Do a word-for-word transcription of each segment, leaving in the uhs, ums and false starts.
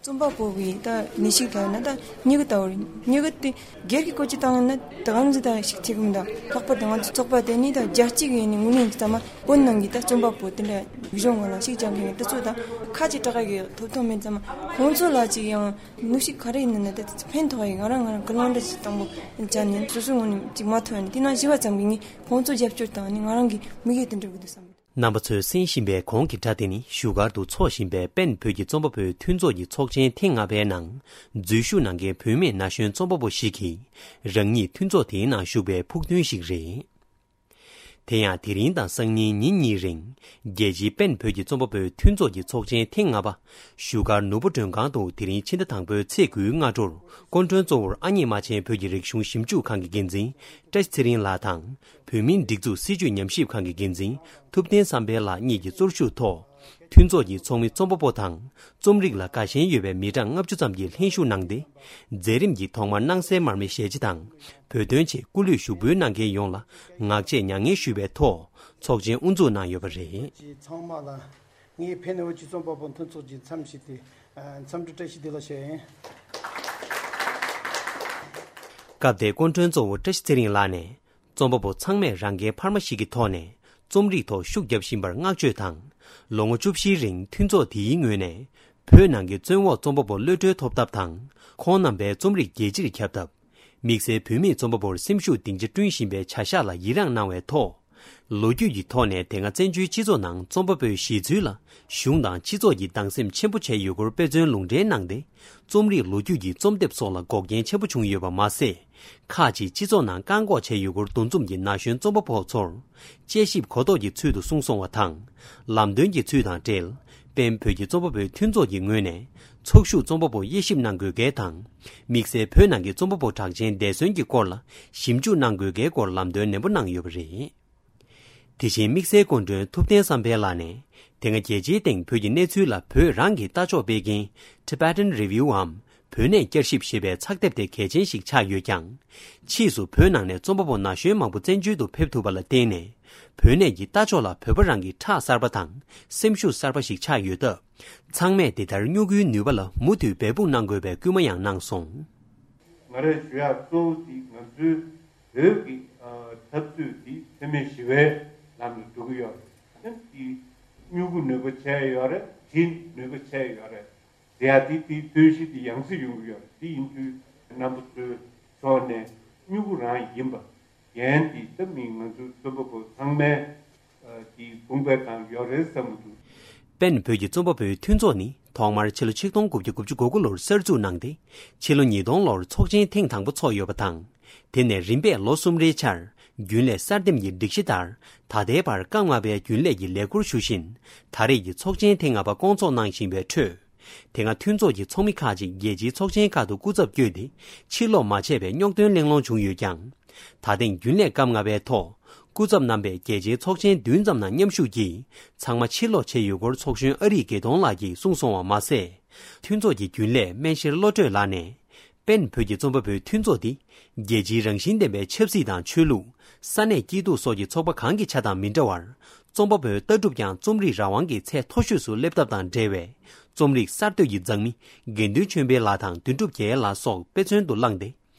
རྩོམ་པ་པོ་བའི་ད་ནི་ཞིག་ལ་ན་ད་སྨྱུ་གུ་ལྟ་བུ་རེད། སྨྱུ་གུ་དེ་སྒེར་གྱི་སྐོར་གྱི་བཏང་ན་ད་གང་ཅི་ད་ཞིག་བྱེད་གི་མི་འདུག་ལྷག་པར་དུ་ང་ཚོ་ཚོགས་པ་དེ་ནི་ད་རྒྱལ་སྤྱི་གི་ནི་ངོས་ནས་ཚང་མ་བོད་ནང་གི་ད་རྩོམ་པ་པོ་དེ་འདྲ་རིག་གཞུང་ངོ་ལ་ཞིག་སྦྱང་མཁན་དེ་ཚོ་ད་ཁ་ཅིག་དྲག་གི་ཐོབ་ཐང་མེད་ཙང་མ་ཁོང་ཚོ་ལ་ཅིག་ཡང་ནུ་ཞིག་ག་རེ་ཡིན་ན་ད་ཕན་ཐོགས་ཡི། ང་རང་ང་རང་གི་ལོང་འདྲ་ཅིག་དང་པོ་བྱས་ནས་སོ་སོའི་ངོས་ནས་ཅིག་མ་ཐོན་ནས་དེ་ན་ཞི་བ་ཙམ་གྱི་ངས་ཁོང་ཚོ་རྒྱབ་སྐྱོར་དང་ནི་ང་རང་གི་མི་གེ་དེ་འདྲ་གི་འདུག་བསམ་གི་འདུག་རྣམ་པ་ཚོས་གསན་བཞིན་པའི་གོང་གི་སྒྲ་དེ་ནི་བཞུགས་སྒར་དུ་འཚོགས་བཞིན་པའི་པེན་བོད་ཀྱི་རྩོམ་པ་པོའི་མཐུན་ཚོགས་ཀྱི་ཚོགས་ཆེན་ཐེངས་ལྔ་པའི་ནང་འཛུལ་ཞུགས་གནང་མཁན་བུད་མེད་ན་གཞོན་རྩོམ་པ་པོ་ཞིག་གིས་རང་ཉིད་མཐུན་ཚོགས་དེའི་ནང་ཞུགས་པའི་ཕུགས་འདུན་ཞིག་རེད། དེ་ཡང་དེ་རིང་དང་སང་ཉིན་ཉིན་གཉིས་རིང་རྒྱལ་སྤྱིའི་པེན་བོད་ཀྱི་རྩོམ་པ་པོའི་མཐུན་ཚོགས་ཀྱི་ཚོགས་ཆེན་ཐེངས་ལྔ་པ་བཞུགས་སྒར་ནོར་བུ་མགྲོན་ཁང་དུ་དེ་རིང་ཕྱི་ཟླ་དང་པོའི་ཚེས་དགུའི་སྔ་དྲོར་སྐུ་མགྲོན་གཙོ་བོར་ཨ་མྱེས་རྨ་ཆེན་བོད་ཀྱི་རིག་གཞུང་ཞིབ་འཇུག་ཁང་གི་འགན་འཛིན་བཀྲ་ཤིས་ཚེ་རིང་ལགས་དང་། བོད་མིའི་སྒྲིག་འཛུགས་སྲིད་བྱུས་ཉམས་ཞིབ་ཁང་གི་འགན་འཛིན་ཐུབ་བསྟན་བསམ་འཕེལ་ལགས་གཉིས་ཀྱིས་གཙོ་བཞུགས་ཐོག་མཐུན་ཚོགས་ཀྱི་ཚོགས་མི་རྩོམ་པ་པོ་དང་རྩོམ་རིག་ལ་དགའ་ཞེན་ཡོད་པའི་མི་གྲངས་ལྔ་བཅུ་ཙམ་གྱིས་ལྷན་ཞུགས་གནང་སྟེ། མཛད་རིམ་གྱི་ཐོག་མར་སྣང་གསལ་མར་མེ་ཞལ་ལྕེ་དང་བོད་དོན་ཆེད་སྐུ་ལུས་ཞུགས་འབུལ་གནང་མཁན་ཡོངས་ལ་ངག་བཅད་མྱ་ངན་ཞུས་པའི་ཐོག་ཚོགས་ཆེན་དབུ་འཛུགས་གནང་ཡོད་པ་རེད། ཚང་མ་ལ་ངས་ཕན་ནུ་བོད་ཀྱི་རྩོམ་པ་པོ་མཐུན་ཚོགས་ཀྱི་འཚམས་ཞུས་ཏེ་འཚམས་འདྲི་བཀྲ་ཤིས་བདེ་ལེགས་ཞུ་ཡིན། སྐབས་དེར་སྐུ་མགྲོན་གཙོ་བོ་བཀྲ་ཤིས་ཚེ་རིང་ལགས་ནས། རྩོམ་པ་པོ་ཚང་མས་རང་འགན་འཕར་མ་ཞིག་གི་ཐོག་ནས་རྩོམ་རིག་ཐོག་ཤུགས་རྒྱབ་བཞིན་པར་བསྔགས་བརྗོད་དང་། ལོ་ངོ་བཅུ་བཞིའི་རིང་མཐུན་ཚོགས་དེའི་ངོས་ནས་བོད་ནང་གི་བཙོན་འོག་རྩོམ་པ་པོར་གློད་གྲོལ་ཐོབ་ཐབས་དང་། ཁོང་རྣམ་པའི་རྩོམ་རིག་རྒྱལ་སྤྱིར་ཁྱབ་ཐབས། དམིགས་བསལ་བོད་མིས་རྩོམ་པ་པོར་སེམས་ཤུགས་སྡིངས་ཆ་བསྐྲུན་བཞིན་པའི་བྱ་གཞག་ལ་ཡི་རངས་གནང་བའི་ཐོག་ལོ་རྒྱུས་ཀྱི་ཐོག་ནས་དེ་སྔ་བཙན་བྱོལ་སྤྱི་ཚོགས་ནང་རྩོམ་པ་པོའི་གཞི་རྩའི་ལ་གཞུང་དང་སྤྱི་ཚོགས་ཀྱིས་སྡང་སེམས་ཆེན་པོ་བྱས་ཡོད་སྐོར་དཔེ་མཚོན་ལུང་འདྲེན་གནང་སྟེ། རྩོམ་རིག་ལོ་རྒྱུས་ཀྱི་རྩོམ་དེབ་སོགས་ལ་འགོག་རྐྱེན་ཆེན་པོ་བྱུང་ཡོད་པ་མ་ཟད། ཁག་ཅིག་སྤྱི་ཚོགས་ནང་བཀག་འགོག་བྱས་ཡོད་སྐོར་འདུ་འཛོམས་ཀྱི་ན་གཞོན་རྩོམ་པ་པོ་ཚོར་དཔྱད་ཞིབ་གོ་རྟོགས་ཀྱི་ཚུལ་དུ་གསུངས་སོང་བ་དང་། ལམ་སྟོན་གྱི་ཚུལ་དང་འབྲེལ། པེན་བོད་ཀྱི་རྩོམ་པ་པོའི་མཐུན་ཚོགས་ཀྱི་ངོས་ནས་ཚོགས་ཞུགས་རྩོམ་པ་པོ་དབྱེ་ཞིབ་གནང་དགོས་གལ་དང་། དམིགས་བསལ་བོད་ནང་གི་རྩོམ་པ་པོ་གྲགས་ཅན་འདས་གསོན་གྱི་སྐོར་ལ་ཞིབ་འཇུག་གནང་དགོས་གལ་སྐོར་ལམ་སྟོན་ནན་པོ་གནང་ཡོད་པ་རེད། དེ་བཞིན་དམིགས་བསལ་སྐུ་མགྲོན་ཐུབ་བསྟན་བསམ་འཕེལ་ལགས་ནས། དེ་སྔ་རྒྱལ་སྤྱིའི་སྟེང་བོད་ཀྱི་གནས་ཚུལ་ལ་བོད་རང་གིས་ལྟ་ཕྱོགས་སྤེལ་མཁན་Tibetan Review་འམ། བོད་གནས་བསྐྱར་ཞིབ་ཞེས་པའི་ཚགས་དེབ་དེ་གལ་ཆེན་ཞིག་ཆགས་ཡོད་ཀྱང་། ཕྱིས་སུ་བོད་ནང་ནས་རྩོམ་པ་པོ་ན་གཞོན་མང་པོ་བཙན་བྱོལ་དུ་ཕེབས་ཐུབ་པ་ལ་བརྟེན་ནས། བོད་གནས་ཀྱི་ལྟ་ཕྱོགས་ལ་བོད་པ་རང་གི་ཁྲག་གསར་པ་དང་སེམས་ཤུགས་གསར་པ་ཞིག་ཆགས་ཡོད་སྟབས། ཚང་མས་དེ་ལྟར་སྨྱུ་གུའི་ནུས་པ་ལ་མུ་མཐུད་འབད་འབུངས་གནང་དགོས་པའི་སྐུལ་མ་ཡང་གནང་སོང་། ང་རས་ཞུ་ཡག་གཙོ་བོ་དེ་ང་ཚོའི་བོད་ཀྱི་ཨ་འཐབ་རྩོད་དེ་འཚེ་མེད་ཞི་བའི་ལམ་དུ་འགྲོ་གི་ཡོད་རེད། དེ་སྨྱུ་གུ་ནུས་པ་ཆེ་ཡོད་རེད། གྲི་ནུས་པ་ཆེ་ཡོད་རེད། དེ་ཡང་དེ་དེའི་རྩོད་གཞི་དེ་ཡང་སེ་ཡོང་གི་ཡོད་རེད། དེ་ཡིན་དུས་རྣམ་པ་ཚོའི་ཕྱོགས་ནས་སྨྱུ་གུ་རང་ཡིན་པ། འགན་དེ་ད་མི་ང་ཚོ་རྩོམ་པ་པོ་ཚང་མའི་ཨ་དེའི་དཔུང་པའི་སྒང་ཡོད་རེད་བསམ་གྱི་འདུག་པེན་བོད་ཀྱི་རྩོམ་པ་པོའི་མཐུན་ཚོགས་ནི་ཐོག་མར་ཕྱི་ལོ་ཆིག་སྟོང་དགུ་བརྒྱ་དགུ་བཅུ་གོ་དགུ་ལོར་གསར་འཛུགས་གནང་སྟེ། ཕྱི་ལོ་ཉིས་སྟོང་ལོར་ཚོགས་ཆེན་ཐེངས་དང་པོ་འཚོགས་ཡོད་པ་དང་། དེ་ནས་རིམ་པས་ལོ་གསུམ་རེའི་ཆར་རྒྱུན་ལས་གསར་འདེམས་ཀྱི་སྒྲིག་གཞི་ལྟར་ད་ལྟའི་བར་སྐབས་ལྔ་པའི་རྒྱུན་ལས་ཀྱི་ལས་འཁུར་ཞུ་བཞིན་ད་རེས་ཀྱི་ཚོགས་ཆེན་ཐེངས་ལྔ་པ་སྐོང་ཚོགས་གནང་བཞིན་པའི་ཁྲོད། དེ་སྔ་མཐུན་ཚོགས་ཀྱི་ཚོགས་མི་ཁག་ཅིག་རྒྱལ་སྤྱིའི་ཚོགས་ཆེན་ཁག་ཏུ་སྐུ་ཚབ་བསྐྱོད་དེ་ཕྱིར་ལོག་མ་བྱས་པའི་རྙོག་འདོན་གླེང་སློང་བྱུང་ཡོད་ཀྱང་། ད་ཐེངས་རྒྱུན་ལས་སྐབས་ལྔ་པའི་ཐོག་སྐུ་ཚབ་རྣམ་པས་རྒྱལ་སྤྱིའི་ཚོགས་ཆེན་བདུན་ཙམ་ནང་མཉམ་ཞུགས་ཀྱིས་ཚང་མ་ཕྱིར་ལོག་བྱས་ཡོད་སྐོར་ཚོགས་གཞོན་ཨ་རིག་དགེ་མཐོང་ལགས་ཀྱིས་གསུངས་སོང་བ་མ་ཟད། མཐུན་ཚོགས་ཀྱི་རྒྱུན་ལས་སྨན་ཤེར་བློ་གྲོས་ལགས་ནས། པེན་བོད་ཀྱི་རྩོམ་པ་པོའི་མཐུན་ཚོགས་འདི་རྒྱལ་སྤྱིའི་རང་བཞིན་ལྡན་པའི་ཆབ་སྲིད་དང་ཆོས་ལུགས། ས་གནས་སྐྱིད་སྡུག་སོགས་ཀྱི་ཚོགས་པ་གང་གི་ཆ་དང་མི་འདྲ་བར། རྩོམ་པ་པོའི་ལྟ་གྲུབ་ཀྱང་རྩོམ་རིག་རང་དབང་གི་ཚད་མཐོ་ཤོས་སུ་སླེབས་ཐབས་དང་འབྲེལ་བའི་རྩོམ་རིག་གསར་གཏོད་ཀྱི་མཛངས་མི་དགེ་འདུན་ཆོས་འཕེལ་ལགས་དང་དོན་གྲུབ་རྒྱལ་ལགས་སོགས་དཔེ་མཚོན་དུ་བླངས་ཏེ།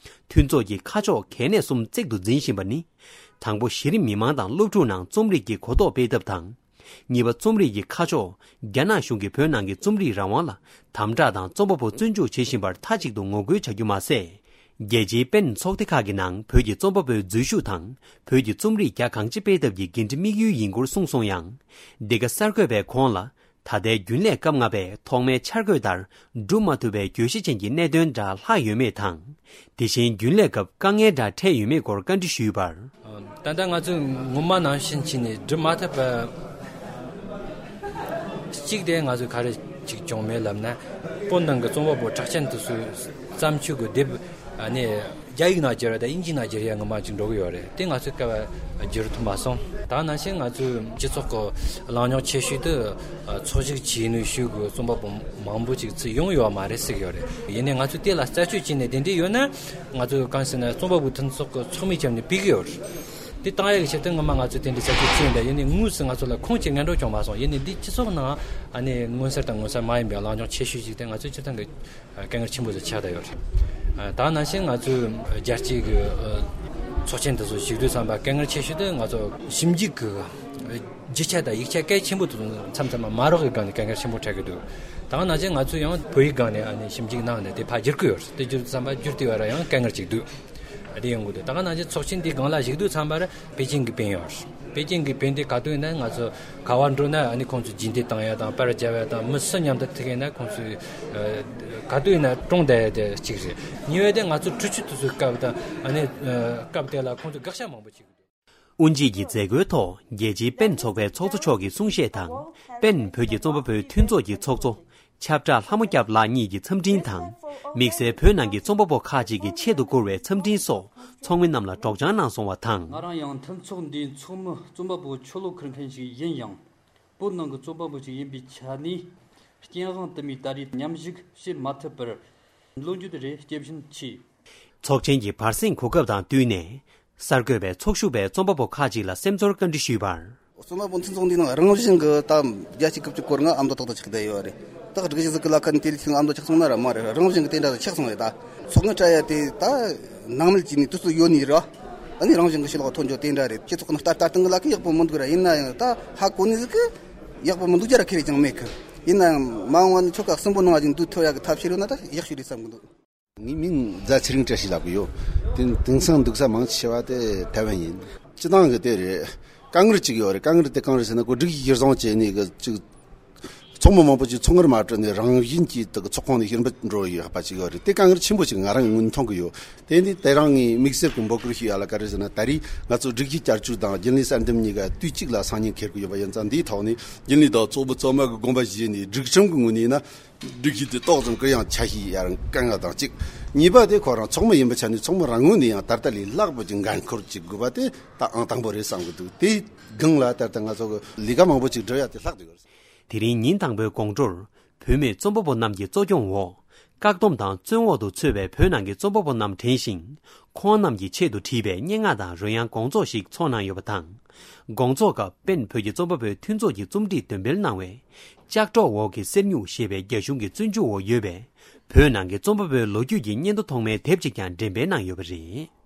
མཐུན་ཚོགས་ཀྱི་ཁ་ཕྱོགས་གལ་གནད་གསུམ་གཙིགས་སུ་འཛིན་བཞིན་པ་ནི། དང་པོ་གཞི་རིམ་མི་མང་དང་སློབ་ཕྲུག་ནང་རྩོམ་རིག་གི་གོ་རྟོགས་སྤེལ་ཐབས་དང་། གཉིས་པ་རྩོམ་རིག་གི་ཁ་ཕྱོགས་རྒྱ་ནག་གཞུང་གིས་བོད་ནང་གི་རྩོམ་རིག་རང་དབང་ལ་དམ་དྲག་དང་རྩོམ་པ་པོ་བཙོན་འཇུག་བྱེད་བཞིན་པར་མཐའ་གཅིག་ཏུ་ངོ་རྒོལ་བྱ་རྒྱུ་མ་ཟད། རྒྱལ་སྤྱིའི་པེན་ཚོགས་སྡེ་ཁག་གི་ནང་བོད་ཀྱི་རྩོམ་པ་པོའི་འཛུལ་ཞུགས་དང་བོད་ཀྱི་རྩོམ་རིག་རྒྱ་གང་ཆེ་སྤེལ་ཐབས་ཀྱི་འགན་འཁྲི་དམིགས་ཡུལ་ཡིན་སྐོར་གསུངས་སོང་ཡང་། འདི་ག་གསར་འགོད་པས་ཁོང་ལ། ད་ལྟའི་རྒྱུན་ལས་སྐབས་ལྔ་པས་ཐོག་མའི་འཆར་འགོད་ལྟར་སྒྲུབ་མ་ཐུབ་པའི་བརྗོད་གཞི་ཅན་གྱི་གནད་དོན་འདྲ་ལྷག་ཡོད་མེད་དང་། དེ་བཞིན་རྒྱུན་ལས་སྐབས་དཀའ་ངལ་འདྲ་འཕྲད་ཡོད་མེད་སྐོར་བཀའ་འདྲི་ཞུས་པར། ད་ལྟ་ང་ཚོས་ངོ་མ་ནང་བཞིན་བྱས་ནས་སྒྲུབ་མ་ཐུབ་པ། གཅིག་དེ་ང་ཚོས་ག་རེ་ཅིག་བྱུང་མེད་ལབ་ན། བོད་ནང་གི་རྩོམ་པ་པོ་གྲགས་ཅན་དེ་ཚོའི་བརྩམས་ཆོས་ཀྱི་དེབ་ཨ་ནི་རྒྱ་ཡིག་ནང་བསྒྱུར་བ་དང་དབྱིན་ཇི་ནང་བསྒྱུར་ཡ་ངོ་མ་ཅིག་འགྲོ་གི་ཡོད་རེད། དེ་ང་ཚོས་སྐབས་བསྒྱུར་ཐུབ་མ་སོང་། ད་ནང་བཞིན་ང་ཚོའི་སྤྱི་ཚོགས་ཀྱི་གླེང་རྙོག་ཆེ་ཤོས་དེ་ཚོགས་ཞུགས་བྱས་ནས་ཞུགས་ཀྱི་རྩོམ་པ་པོ་མང་པོ་ཅིག་ཚུར་ཡོང་ཡོད་མ་རེད་ཟེར་གྱི་ཡོད་རེད། ཡིན་ནའི་ང་ཚོས་དེ་ལ་རྩད་གཅོད་བྱས་ནས་དེ་འདྲ་ཡོད་ན། ང་ཚོས་གང་ཟེར་ན་རྩོམ་པ་པོའི་མཐུན་ཚོགས་ཀྱི་ཚོགས་མི་བྱས་ནས་ཕུད་ཀྱི་ཡོད་རེད། དེ་བཏང་ཡག་གི་ཆེད་དུ་ངོ་མ་ང་ཚོས་དེ་འདྲའི་ས་ཆ་བྱིན་པས། ཡིན་ནའི་དངོས་སུ་ང་ཚོ་ལ་ཁུངས་ཀྱི་སྔོན་འགྲོ་བྱུང་མ་སོང་། ཡིན་ནའི་འདི་སྤྱི་ཚོགས་ནང་ཨ་ནི་མངོན་གསལ་དང་མངོན་གསལ་མ་ཡིན་པའི་གླེང་སྦྱོང་ཆེ་ཤོས་ཤིག་དེ་ང་ཚོའི་སྤྱིར་བཏང་གི་དཀའ་ངལ་ཆེན་པོ་ཞིག་ཆགས་བསྡད་ཡོད་རེད། ད་ག་ནང་བཞིན་ང་ཚོའི་རྒྱལ་སྤྱིའི་གི་ཚོགས་ཆེན་དེ་ཚོ་ཞུགས་དུས་ཙམ་པ་དཀའ་ངལ་ཆེ་ཤོས་དེ་ང་ཚོ་ཞིབ་འཇུག་གི་རྒྱུ་ཆ་དང་ཡིག་ཆ་གལ་ཆེན་པོ་དེ་ཚོ་མཚམས་མཚམས་མ་མ་རག་གི་སྒང་ནས་དཀའ་ངལ་ཆེན་པོ་འཕྲད་ཀྱི་འདུག་ད་ག་ནང་བཞིན་ང་ཚོས་ཡང་བོད་ཡིག་སྒང་ནས་ཨ་ནི་ཞིབ་འཇུག་གནང་ནས་དེ་ཕར་བསྒྱུར་གྱི་ཡོད་རེད། དེ་བསྒྱུར་དུས་ཙམ་པ་བསྒྱུར་དེ་བར་ཡང་དཀའ་ངལ་ཅིག་འདུག་དེ་ཡོང་གི་འདུག་ད་ག་ནང་བཞིན་ཚོགས་ཆེན་འདིའི་སྒང་ལ་ཞུགས་དུས་ཙམ་པར་པེ་ཅིང་གི་བན་ཡོད་རེད། པེ་ཅིང་གི་བན་དེ་ག་དུས་ཡིན་ན་ང་ཚོ་ག་བར་འགྲོ་ན་ཨ་ནི་ཁོང་ཚོས་རྗེས་འདེད་བཏང་ཡ་དང་པར་རྒྱབ་ཡ་དང་མི་སུ་མཉམ་དུ་ཐུག་ཡིན་ན་ཁོང་ཚོས་ཨ་ག་དུས་ཡིན་ན་བཀྲོངས་བསྡད་ཡ་དེ་གཅིག་རེད། གཉིས་པ་དེ་ང་ཚོ་འཕྲུལ་ཆས་དེ་ཚོའི་སྐབས་དང་ཨ་ནི་ཨ་སྐབས་དེ་ལ་ཁོང་ཚོས་དགག་བྱ་མང་པོ་བྱེད་ཀྱི་འདུག་དབུ་འབྱེད་ཀྱི་མཛད་སྒོའི་ཐོག་རྒྱལ་སྤྱིའི་པེན་ཚོགས་པའི་ཚོགས་གཙོ་མཆོག་གིས་གསུང་བཤད་དང་། པེན་བོད་ཀྱི་རྩོམ་པ་པོའི་མཐུན་ཚོགས་ཀྱི་ཚོགས་གཙོ་ཆབ་བྲག་ལྷ་མོ་སྐྱབས་ལགས་གཉིས་ཀྱི་འཚམས་འཕྲིན་དང་། དམིགས་བསལ་བོད་ནང་གི་རྩོམ་པ་པོ་ཁག་ཅིག་གི་ཆེད་དུ་བསྐུར་བའི་འཚམས་འཕྲིན་སོགས་ཚོགས་མི་རྣམས་ལ་སྒྲོག་སྦྱང་གནང་སོང་བ་དང་། ང་རང་ཡང་མཐུན་ཚོགས་འདིའི་ཚོགས་མི་རྩོམ་པ་པོ་ཆོ་ལོ་ཁུར་མཁན་ཞིག་ཡིན་ཡང་། བོད་ནང་གི་རྩོམ་པ་པོ་ཞིག་ཡིན་པའི་ཆ་ནས། རྐྱེན་དབང་དུ་མའི་ད་རེས་མཉམ་ཞུགས་བྱེད་མ་ཐུབ་པར། ལོ་རྒྱུས་དེ་རེད་སྐྱེ་བཞིན་མཆིས། ཚོགས་ཆེན་གྱི་བར་གསེང་གོ་སྐབས་དང་བསྟུན་ནས། གསར་འགོད་པས་ཚོགས་ཞུགས་པའི་རྩོམ་པ་པོ་ཁག་ཅིག་ལ་སེམས་ཚོར་བཀའ་འདྲི་ཞུས་པར། རྩོམ་པ་པོ་མཐུན་ཚོགས་འདིའི་ནང་རང་བཞིན་གྱི་ད་རྒྱལ་སྤྱིའི་སྐབས་ཀྱི་སྐོར་ང་ཨ་མདོ་ཏག་ཏག་ཆགས་བསྡད་ཡོད་རེད། ད་སྒྲིག་གཞི་ཟིག་གི་ལ་ཁ་ནས་དེ་ལས་ཆེ་ཨ་མདོ་ཆགས་སོང་ན་ར་མ་རེད། རང་བཞིན་གྱི་དེ་འདྲ་ཆགས་སོང་རེད། ད་ཚོགས་ངན་སྤྲད་ཡ་དེ་ད་ནང་མི་གཅིག་ནས་དུས་ཚོད་ཡོད་ནི་རེད། ཨ་ནི་རང་བཞིན་གྱི་ཕྱི་ལོགས་ཐོན་རྒྱུ་དེ་འདྲ་རེད། སྤྱི་ཚོགས་ནང་ལྟ་ལྟ་སྟངས་གི་ལ་ཁ་ཡག་པོ་མི་འདུག་ར། ཡིན་ན་ཡང་ད་ཧ་གོ་ནི་ཟིག་གི་ཡག་པོ་མི་འདུག་རྒྱ་ར་ཁེ་རེ་ཅང་མེད་གི། ཡིན་ན་ཡང་མ་འོངས་བ་ནས་ཁྱོ་ག་གསོན་པོ་གནང་བ་ཅིག་འདུག་ཐུབ་ཡ་གི་ཐབས་ཤེས་ཡོད་ན་ད་ཡག་ཤོས་རེད་བསམ་གི་འདུག་ངའི་མིང་རྫ་ཚེ་རིང་བཀྲ་ཤིས་ལབ་གི་ཡོད། དེ་དེང་སང་འདུག་ས་མང་ཆེ་བ་དེ་ཐའེ་ཝན་ཡིན། སྤྱི་བཏང་གི་དེ་རེད། དཀའ་ངལ་གཅིག་ཡོད་རེད། དཀའ་ངལ་དེ་གང་རེད་ཟེར་ན་ཁོ་སྒྲིག་གཞི་གཞིར་བཟུང་བྱས་ནས་གི་གཅིག་ཚོགས་མི་མང་པོ་ཅིག་ཚོགས་ངར་མ་སྤྲོད་ནས་རང་བཞིན་གྱིས་དེ་གི་ཚོགས་ཁང་ནས་ཕྱིར་འབུད་འགྲོ་ཡོད་པ་ཅིག་ཡོད་རེད། དེ་དཀའ་ངལ་ཆེན་པོ་ཅིག་ང་རང་གི་ངོས་ནས་མཐོང་གི་ཡོད། དེ་ནི་དེ་རང་ངའི་དམིགས་བསལ་གྱི་འབོད་སྐུལ་ཞུ་ཡ་ལ་ག་རེ་ཟེར་ན། ད་རེས་ང་ཚོ་སྒྲིག་གཞི་བསྐྱར་བཅོས་དང་རྒྱུན་ལས་གསར་འདེམས་གཉིས་ཀ་དུས་གཅིག་ལ་སང་ཉིན་འཁེལ་གི་ཡོད་པ་ཡིན་ཙང་། འདིའི་ཐོག་ནས་རྒྱུན་ལས་དང་ཚོགས་མི་ཚང་མ་གི་དགོངས་པ་བཞེས་ནས་སྒྲིག་ཁྲིམས་ཀྱི་ངོས་ནས་ཡིན་ན། སྒྲིག་གཞི་དེ་ཏོག་ཙམ་གུ་ཡངས་ཆ་ཤས་ཡར་བཀལ་ཡ་དང་གཅིག་གཉིས་པ་དེ་ཁོ་རང་ཚོགས་མི་ཡིན་པའི་ཆ་ནས་ཚོགས་མི་རང་ངོས་ནས་ཡང་ད་ལྟ་ལས་ལྷག་པ་ཅིག་འགན་འཁུར་ཅིག་དགོས་པ་དེ་ད་ཨང་དང་པོ་རེད་བསམ་གི་འདུག་དེའི་སྒང་ལ་ད་ལྟ་ང་ཚོ་གི་ལས་ཀ་མང་པོ་ཅིག་སྒྲུབ་ཡ་དེ་ལྷག་འདུག་དེ་རིང་ཉིན་དང་པོའི་དགོང་དྲོར་བུད་མེད་རྩོམ་པ་པོ་རྣམས་ཀྱི་གཙོ་སྐྱོང་འོག་བཀག་སྡོམ་དང་བཙོན་འོག་ཏུ་ཚུད་པའི་བོད་ནང་གི་རྩོམ་པ་པོ་རྣམས་དྲན་ཞིང་། ཁོང་རྣམས་ཀྱི་ཆེད་དུ་བྲིས་པའི་སྙན་ངག་དང་རོལ་དབྱངས་དགོང་ཚོགས་ཤིག་ཚོགས་གནང་ཡོད་པ་དང་། དགོང་ཚོགས་སྐབས་པེན་བོད་ཀྱི་རྩོམ་པ་པོའི་མཐུན་ཚོགས་ཀྱི་རྩོམ་སྒྲིག་འདོན་སྤེལ་གནང་བའི། ལྕགས་སྒྲོག་འོག་གི་གསེར་སྨྱུག་ཞེས་པའི་རྒྱ་གཞུང་གི་བཙོན་འཇུག་འོག་ཡོད་པའི་བོད་ནང་གི་རྩོམ་པ་པོའི་ལོ་རྒྱུས་ཀྱི་སྙན་ཐོ་ཐོག་མའི་དེབ་ཅིག་ཀྱང་འགྲེམས་སྤེལ་གནང་ཡོད་པ་རེད།